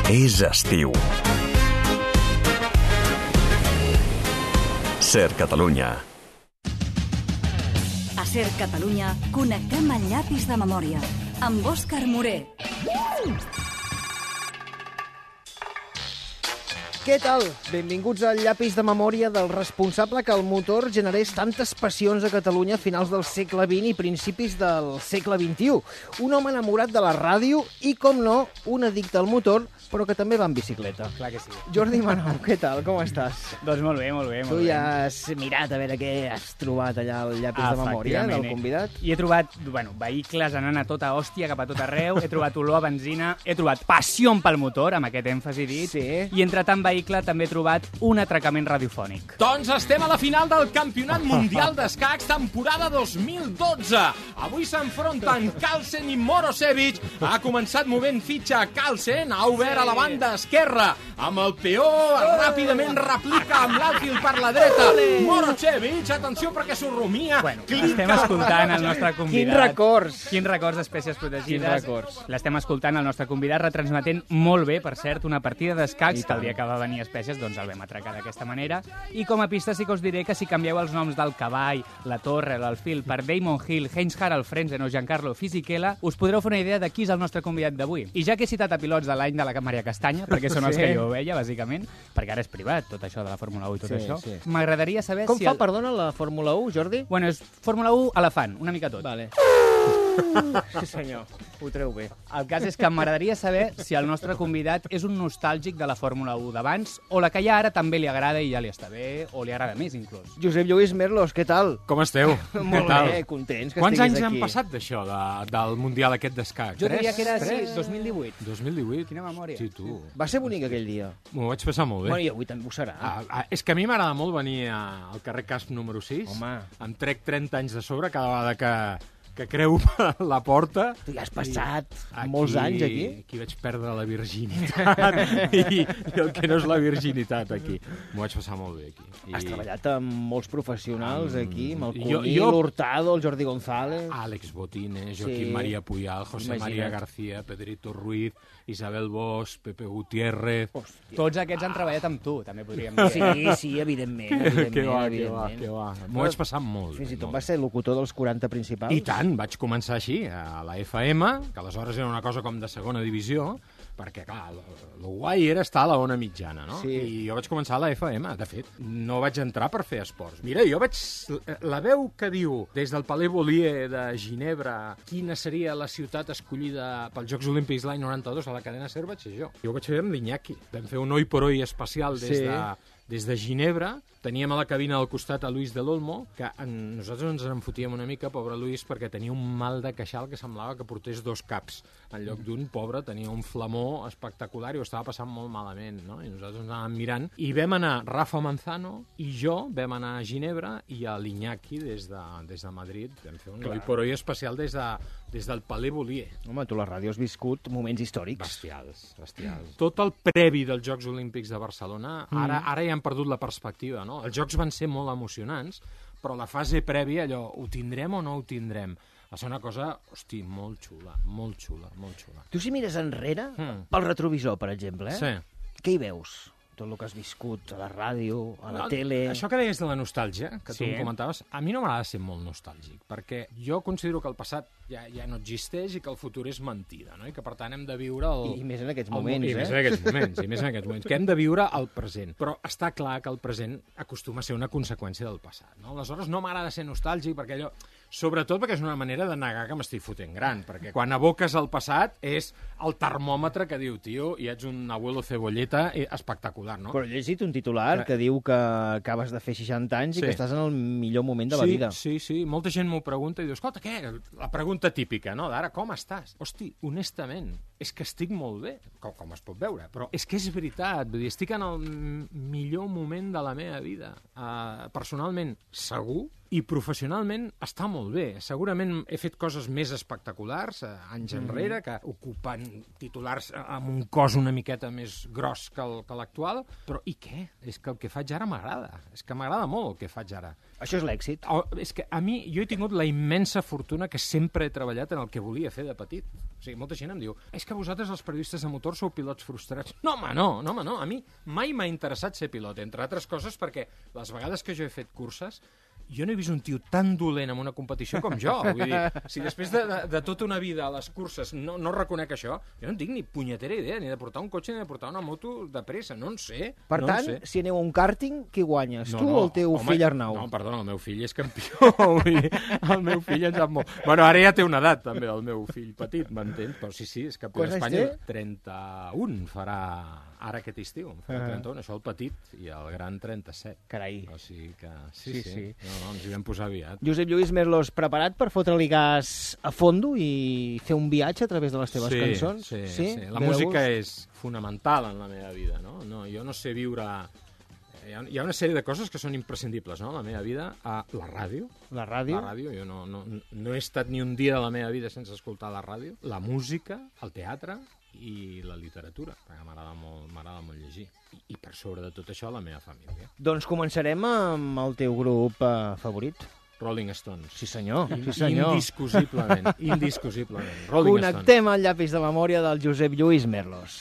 És estiu. Ser Catalunya. A Ser Catalunya connectem el llapis de memòria amb Òscar Moré. Què tal? Benvinguts al llapis de memòria del responsable que el motor generés tantes passions a Catalunya a finals del segle XX i principis del segle XXI. Un home enamorat de la ràdio i, com no, un addicte al motor, però que també va en bicicleta. Clar que sí. Jordi Manou, què tal? Com estàs? Doncs molt bé, molt bé. Tu ja has mirat a veure què has trobat allà al llapis de memòria del convidat? I he trobat, vehicles anant a tota hòstia, cap a tot arreu, he trobat olor a benzina, he trobat passió pel motor, amb aquest èmfasi dit, Sí. i entre tant vehicle també he trobat un atracament radiofònic. Doncs estem a la final del Campionat Mundial d'Escacs temporada 2012. Avui s'enfronten Carlsen i Morosevic. Ha començat movent fitxa Carlsen, ha obert a la banda esquerra amb el peó, ràpidament replica amb l'alfil per la dreta. Morosevic, atenció perquè s'ho rumia. Bueno, estem escoltant el nostre convidat. Quins records d'espècies protegides. Quins records. L'estem escoltant el nostre convidat, retransmetent molt bé, per cert, una partida d'escacs que el dia que va venir espècies doncs el vam atracar d'aquesta manera. I com a pista sí que us diré que si canvieu els noms del cavall, la torre, l'alfil per Damon Hill, Heinz-Harald Frentzen o Giancarlo Fisichella, us podreu fer una idea de qui és el nostre convidat d'avui. I ja que he citat a pilots de l'any de la Maria Castanya, perquè són els que jo veia, bàsicament, perquè ara és privat, tot això de la Fórmula 1 i tot això, m'agradaria saber Com si... fa, perdona, la Fórmula 1, Jordi? Bueno, és Fórmula 1 elefant, una mica tot. Vale. Sí, senyor. Ho treu bé. El cas és que m'agradaria saber si el nostre convidat és un nostàlgic de la Fórmula 1 d'abans o la que hi ha ara també li agrada i ja li està bé, o li agrada més, inclús. Josep Lluís Merlos, què tal? Com esteu? Molt bé, contents que Quants anys estiguis han aquí. passat d'això, del Mundial aquest d'escacs? Jo diria que era, sí, 2018. 2018? Quina memòria. Sí, tu. Va ser bonic aquell dia. M'ho vaig passar molt bé. Bueno, i avui també ho serà. És que a mi m'agrada molt venir al carrer Casp número 6. Home. Em trec 30 anys de sobre cada vegada que creu la porta. Tu ja has passat molts anys aquí. Aquí vaig perdre la virginitat i el que no és la virginitat aquí. M'ho vaig passar molt bé aquí. Has treballat amb molts professionals aquí, amb el Jo- Cuní, l'Hurtado, el Jordi González... Àlex Botines, Joaquim Sí. María Puyal, José Imagina't. María García, Pedrito Ruiz, Isabel Bosch, Pepe Gutiérrez... Tots aquests han treballat amb tu, també podríem dir. Sí, evidentment. Que va. M'ho vaig passar molt bé. Fins i tot molt va ser locutor dels 40 principals. I tant, vaig començar així, a la FM, que aleshores era una cosa com de segona divisió, perquè, clar, el guai era estar a la ona mitjana, no? Sí. I jo vaig començar a la FM, de fet. No vaig entrar per fer esports. Mira, jo vaig... La veu que diu des del Palais Bolier de Ginebra quina seria la ciutat escollida pels Jocs Olímpics l'any 92 a la cadena SER vaig ser jo. Jo ho vaig fer amb l'Iñaki. Vam fer un oi por oi especial des de Ginebra. Teníem a la cabina al costat a Luis del Olmo, que nosaltres ens en fotíem una mica, pobre Luis, perquè tenia un mal de queixal que semblava que portés 2 caps. En lloc d'un, pobre, tenia un flamó espectacular i ho estava passant molt malament, no? I nosaltres ens anàvem mirant. I vam anar, Rafa Manzano i jo, vam anar a Ginebra i a l'Iñaki des de Madrid. Vam fer un oi por oi especial des del Palais Bolier. Home, tu a la ràdio has viscut moments històrics. Bestials. Tot el previ dels Jocs Olímpics de Barcelona, ara ja han perdut la perspectiva, no? Els Jocs van ser molt emocionants, però la fase prèvia, allò, ho tindrem o no ho tindrem? Va ser una cosa, hosti, molt xula. Tu si mires enrere, pel retrovisor, per exemple, Sí. què hi veus? Tot el que has viscut a la ràdio, a la tele... Això que deies de la nostàlgia, que tu Sí. em comentaves, a mi no m'agrada ser molt nostàlgic, perquè jo considero que el passat ja no existeix i que el futur és mentida, no? I que, per tant, hem de viure I més en aquests moments, I més en aquests moments, que hem de viure el present. Però està clar que el present acostuma a ser una conseqüència del passat, no? Aleshores, no m'agrada ser nostàlgic, perquè allò... Sobretot perquè és una manera de negar que m'estic fotent gran, perquè quan aboques el passat és el termòmetre que diu, tio, i ets un abuelo cebolleta espectacular, no? Però he llegit un titular que diu que acabes de fer 60 anys i que estàs en el millor moment de la vida. Sí. Molta gent m'ho pregunta i diu, escolta, què? La pregunta típica, no? D'ara, com estàs? Hosti, honestament, és que estic molt bé, com es pot veure, però és que és veritat, vull dir, estic en el millor moment de la meva vida. Personalment, segur, I professionalment està molt bé. Segurament he fet coses més espectaculars anys enrere, que ocupen titulars amb un cos una miqueta més gros que l'actual, però i què? És que el que faig ara m'agrada. És que m'agrada molt el que faig ara. Això és l'èxit. És que a mi, jo he tingut la immensa fortuna que sempre he treballat en el que volia fer de petit. O sigui, molta gent em diu, és que vosaltres els periodistes de motor sou pilots frustrats. No, home, no. A mi mai m'ha interessat ser pilot, entre altres coses perquè les vegades que jo he fet curses jo no he vist un tio tan dolent en una competició com jo. Vull dir, si després de tota una vida a les curses no reconec això, jo no en tinc ni punyetera idea, ni de portar un cotxe ni de portar una moto de pressa, no en sé. Per tant, si aneu a un kàrting, qui guanyes? Tu o el teu fill Arnau? No, perdona, el meu fill és campió. El meu fill en sap molt. Bueno, ara ja té una edat, també, el meu fill petit, m'entens? Però sí, és campió d'Espanya. 31 farà ara aquest estiu. Farà 31, això el petit, i el gran 37. Carai. O sigui que sí. No, ens hi vam posar aviat. Josep Lluís Merlos, preparat per fotre-li gas a fondo i fer un viatge a través de les teves cançons? Sí. La música és fonamental en la meva vida, no? Jo no sé viure... Hi ha una sèrie de coses que són imprescindibles, no?, en la meva vida. La ràdio. La ràdio? La ràdio. Jo no he estat ni un dia de la meva vida sense escoltar la ràdio. La música, el teatre i la literatura, perquè m'agrada molt llegir. I per sobre de tot això, la meva família. Doncs començarem amb el teu grup favorit. Rolling Stones. Sí, senyor. Indiscutiblement. Rolling Stones. Connectem al llapis de memòria del Josep Lluís Merlos.